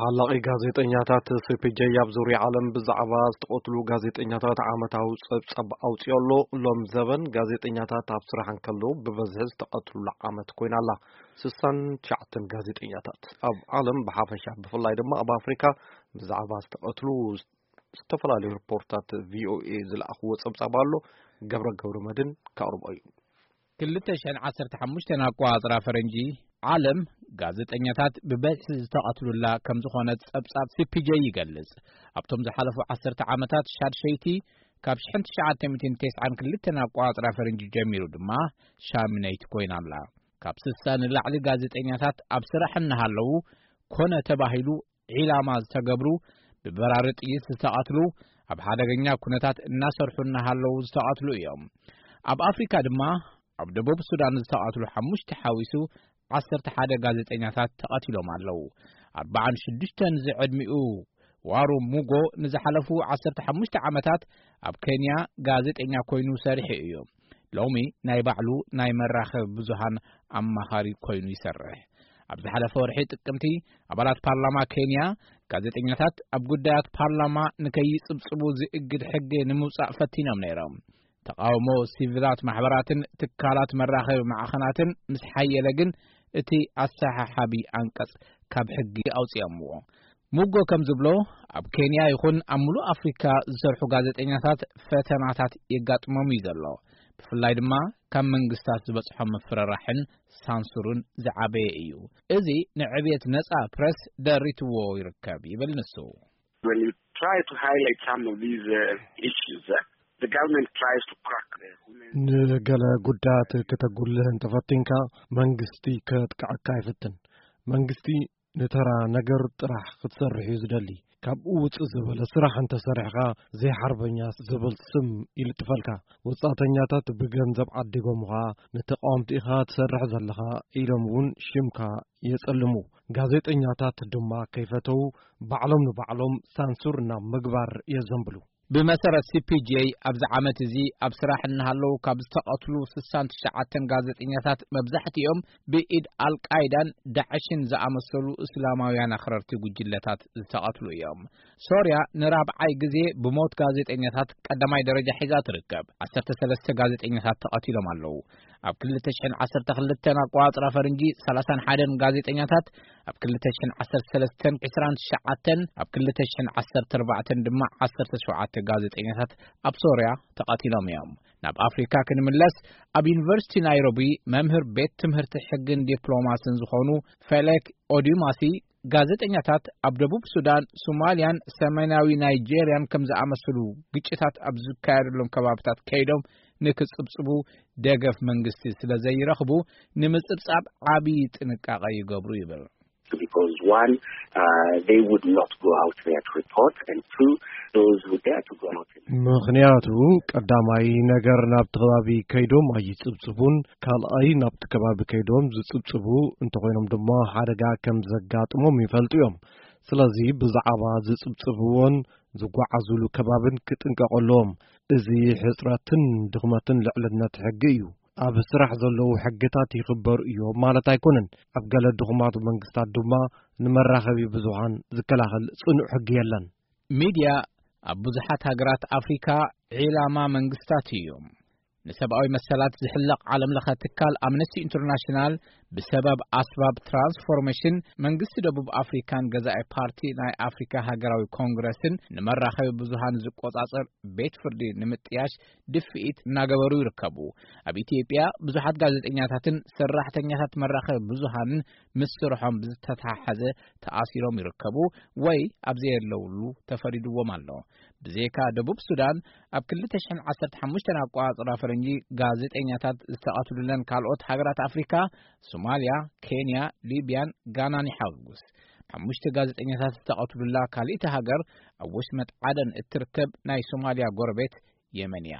ሓላቒ ጋዜጠኛታት ሲ ፒ ጄ ኣብ ዙርያ ዓለም ብዛዕባ ዝተቐትሉ ጋዜጠኛታት ዓመታዊ ጸብጻብ ኣውጺኡ ኣሎ። ሎም ዘበን ጋዜጠኛታት ኣብ ስራሕ እንከለዉ ብበዝሒ ዝተቐትሉላ ዓመት ኮይና ኣላ። ስሳን ትሽዓተን ጋዜጠኛታት ኣብ ዓለም ብሓፈሻ፣ ብፍላይ ድማ ኣብ ኣፍሪካ ብዛዕባ ዝተቐትሉ ዝተፈላለዩ ሪፖርታት ቪ ኦ ኤ ዝለኣኽዎ ጸብጻብ ኣሎ። ገብረ ገብረ መድን ከቕርቦ እዩ። ክልተ ሽሕን ዓሰርተ ሓሙሽተን ኣቆጻጽራ ፈረንጂ፣ ዓለም ጋዜጠኛታት ብበዝሒ ዝተቐትሉላ ከም ዝኾነት ጸብጻብ ሲ ፒ ጄ ይገልጽ። ኣብቶም ዝሓለፉ ዓሰርተ ዓመታት ሻድሸይቲ፣ ካብ ሽሕን ትሽዓተ ሚእትን ተስዓን ክልተን ኣቆጻጽራ ፈረንጂ ጀሚሩ ድማ ሻምነይቲ ኮይና ኣላ። ካብ ስሳ ንላዕሊ ጋዜጠኛታት ኣብ ስራሕ እናሃለዉ ኮነ ተባሂሉ ዒላማ ዝተገብሩ፣ ብበራሪ ጥይት ዝተቐትሉ፣ ኣብ ሓደገኛ ኩነታት እናሰርሑ እናሃለዉ ዝተቐትሉ እዮም። ኣብ ኣፍሪካ ድማ ኣብ ደቡብ ሱዳን ዝተቐትሉ ሓሙሽተ ሓዊሱ ዓሰርተ ሓደ ጋዜጠኛታት ተቐቲሎም ኣለዉ። ኣርባዓን ሽዱሽተን ዝዕድሚኡ ዋሩ ሙጎ ንዝሓለፉ ዓሰርተ ሓሙሽተ ዓመታት ኣብ ኬንያ ጋዜጠኛ ኮይኑ ሰሪሑ እዩ። ሎሚ ናይ ባዕሉ ናይ መራኸቢ ብዙሃን ኣማኻሪ ኮይኑ ይሰርሕ። ኣብ ዝሓለፈ ወርሒ ጥቅምቲ፣ ኣባላት ፓርላማ ኬንያ ጋዜጠኛታት ኣብ ጉዳያት ፓርላማ ንከይጽብጽቡ ዝእግድ ሕጊ ንምውጻእ ፈቲኖም ነይሮም። ተቃውሞ ሲቪላት ማሕበራትን ትካላት መራኸቢ ማዕኸናትን ምስ ሓየለ ግን፣ እቲ ኣሰሓሓቢ ኣንቀጽ ካብ ሕጊ ኣውጺኦምዎ። ሙጎ ከም ዝብሎ፣ ኣብ ኬንያ ይኹን ኣብ ምሉእ ኣፍሪካ ዝሰርሑ ጋዜጠኛታት ፈተናታት የጋጥሞም እዩ ዘሎ። ብፍላይ ድማ ካብ መንግስታት ዝበጽሖም ምፍርራሕን ሳንሱርን ዝዓበየ እዩ። እዚ ንዕብየት ነጻ ፕረስ ደሪትዎ ይርከብ ይብል ንሱ። When you try to highlight some of these uh, issues, uh, the government tries to crack the women. ንገለ ጉዳያት ከተጉልህ እንተፈቲንካ፣ መንግስቲ ከጥቅዐካ ይፍትን። መንግስቲ ንተራ ነገር ጥራሕ ክትሰርሕ እዩ ዝደሊ። ካብኡ ውፅእ ዝበለ ስራሕ እንተሰሪሕኻ፣ ዘይሓርበኛ ዝብል ስም ይልጥፈልካ። ወፃእተኛታት ብገንዘብ ዓዲጎምኻ፣ ንተቃወምቲ ኢኻ ትሰርሕ ዘለኻ ኢሎም እውን ሽምካ የጸልሙ። ጋዜጠኛታት ድማ ከይፈተው፣ ባዕሎም ንባዕሎም ሳንሱር ናብ ምግባር የዘንብሉ። ብመሰረት ሲ ፒ ጄ፣ ኣብዚ ዓመት እዚ ኣብ ስራሕ እናሃለዉ ካብ ዝተቐትሉ ስሳን ትሽዓተን ጋዜጠኛታት፣ መብዛሕትኦም ብኢድ ኣልቃይዳን ዳዕሽን ዝኣመሰሉ እስላማውያን ኣኽረርቲ ጉጅለታት ዝተቐትሉ እዮም። ሶርያ ንራብዓይ ግዜ ብሞት ጋዜጠኛታት ቀዳማይ ደረጃ ሒዛ ትርከብ። ዓሰርተ ሰለስተ ጋዜጠኛታት ተቐቲሎም ኣለዉ። ኣብ ክልተ ሽሕን ዓሰርተ ክልተን ኣቆጻጽራ ፈረንጂ፣ ሰላሳን ሓደን ጋዜጠኛታት፣ ኣብ ክልተ ሽሕን ዓሰርተ ሰለስተን ዕስራን ትሽዓተን፣ ኣብ ክልተ ሽሕን ዓሰርተ ኣርባዕተን ድማ ዓሰርተ ሸውዓተ ጋዜጠኛታት ኣብ ሶርያ ተቐቲሎም እዮም። ናብ ኣፍሪካ ክንምለስ፣ ኣብ ዩኒቨርሲቲ ናይሮቢ መምህር ቤት ትምህርቲ ሕግን ዲፕሎማስን ዝኾኑ ፌሌክ ኦዲማሲ፣ ጋዜጠኛታት ኣብ ደቡብ ሱዳን፣ ሶማልያን ሰሜናዊ ናይጄርያን ከም ዝኣመሰሉ ግጭታት ኣብ ዝካየደሎም ከባብታት ከይዶም ንክጽብጽቡ ደገፍ መንግስቲ ስለ ዘይረኽቡ፣ ንምጽብጻብ ዓቢ ጥንቃቐ ይገብሩ ይብል። Because one, uh, they would not go out there to report, and two, those who dare to go out. ምኽንያቱ፣ ቀዳማይ ነገር ናብቲ ከባቢ ከይዶም ኣይጽብጽቡን፣ ካልኣይ ናብቲ ከባቢ ከይዶም ዝጽብጽቡ እንተኾይኖም ድማ ሓደጋ ከም ዘጋጥሞም ይፈልጡ እዮም። ስለዚ ብዛዕባ ዝጽብጽብዎን ዝጓዓዙሉ ከባብን ክጥንቀቑ ኣለዎም። እዚ ሕጽረትን ድኽመትን ልዕልነት ሕጊ እዩ። ኣብ ስራሕ ዘለዉ ሕግታት ይኽበሩ እዮም ማለት ኣይኮነን። ኣብ ገለ ድኹማት መንግስታት ድማ ንመራኸቢ ብዙሃን ዝከላኸል ጽኑዕ ሕጊ የለን። ሚድያ ኣብ ብዙሓት ሃገራት ኣፍሪካ ዒላማ መንግስታት እዮም። ንሰብኣዊ መሰላት ዝሕለቕ ዓለምለኸ ትካል ኣምነስቲ ኢንተርናሽናል፣ ብሰበብ ኣስባብ ትራንስፎርሜሽን መንግስቲ ደቡብ ኣፍሪካን ገዛኢ ፓርቲ ናይ ኣፍሪካ ሃገራዊ ኮንግረስን ንመራኸቢ ብዙሃን ዝቆጻጸር ቤት ፍርዲ ንምጥያሽ ድፍኢት እናገበሩ ይርከቡ። ኣብ ኢትዮጵያ ብዙሓት ጋዜጠኛታትን ሰራሕተኛታት መራኸቢ ብዙሃንን ምስ ስርሖም ብዝተተሓሓዘ ተኣሲሮም ይርከቡ ወይ ኣብ ዘየለውሉ ተፈሪድዎም ኣሎ። ብዘይካ ደቡብ ሱዳን፣ ኣብ ክልተ ሽሕን ዓሰርተ ሓሙሽተን ኣቆጻጽራ ፈረንጂ ጋዜጠኛታት ዝተቐትሉለን ካልኦት ሃገራት ኣፍሪካ፣ ሶማልያ፣ ኬንያ፣ ሊብያን ጋናን ይሓውስ። ሓሙሽተ ጋዜጠኛታት ዝተቐትሉላ ካልእቲ ሃገር፣ ኣብ ወሽመጥ ዓደን እትርከብ ናይ ሶማልያ ጎረቤት የመን እያ።